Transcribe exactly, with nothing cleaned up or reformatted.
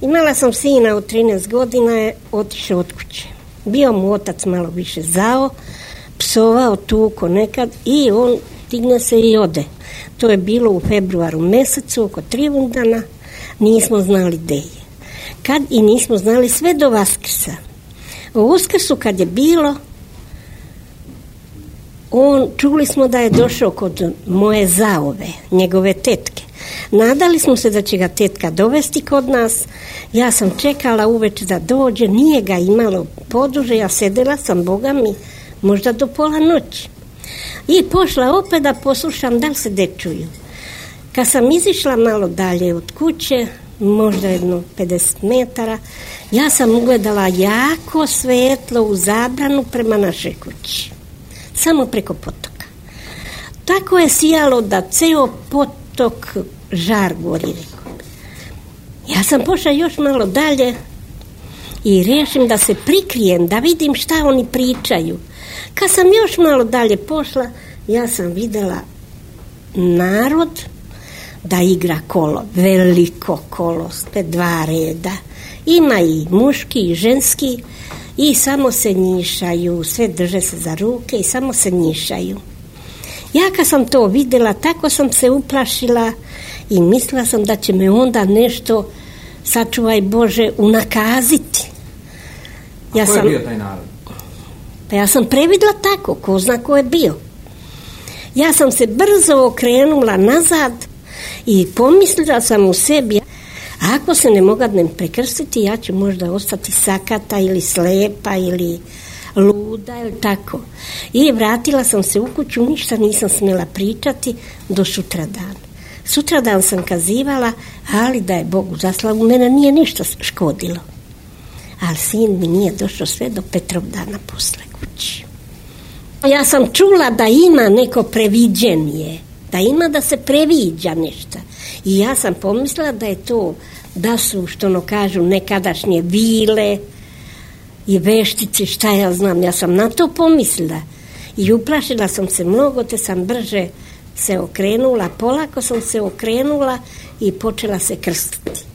Imala sam sina od trinaest godina, je otišao od kuće. Bio mu otac malo više zao, psovao, tuko nekad i on digne se i ode. To je bilo u februaru mesecu, oko Trivundana, nismo znali gde je. Kad i nismo znali sve do Vaskrsa. U Uskrsu kad je bilo, on, čuli smo da je došao kod moje zaove, njegove tetke. Nadali smo se da će ga tetka dovesti kod nas. Ja sam čekala uveče da dođe, nije ga imalo poduže, ja sedela sam, Boga mi, možda do pola noći. I pošla opet da poslušam da li se dečuju. Kad sam izišla malo dalje od kuće, možda jedno pedeset metara, ja sam ugledala jako svetlo u zabranu prema našoj kući. Samo preko potoka. Tako je sijalo da ceo potok žar gori, rekao. Ja sam pošla još malo dalje i rešim da se prikrijem, da vidim šta oni pričaju. Kad sam još malo dalje pošla, ja sam videla narod da igra kolo, veliko kolo, sve dva reda. Ima i muški i ženski i samo se njišaju, sve drže se za ruke i samo se njišaju. Ja kad sam to videla, tako sam se uplašila i mislila sam da će me onda nešto, sačuvaj Bože, unakaziti. Ja A ko je sam, bio taj narod? Pa ja sam previdla tako, ko zna ko je bio. Ja sam se brzo okrenula nazad i pomislila sam u sebi, ako se ne mogadnem prekrstiti, ja ću možda ostati sakata ili slepa ili luda ili tako. I vratila sam se u kuću, ništa nisam smjela pričati do sutradan. Sutradan sam kazivala, ali da je Bogu zaslavu, mene nije ništa škodilo. Ali sin mi nije došao sve do Petrovdana posle kući. Ja sam čula da ima neko previđenje, da ima da se previđa nešto. I ja sam pomislila da je to, da su, što ono kažu, nekadašnje vile i veštice, šta ja znam. Ja sam na to pomislila i uplašila sam se mnogo, te sam brže se okrenula, polako sam se okrenula i počela se krstiti.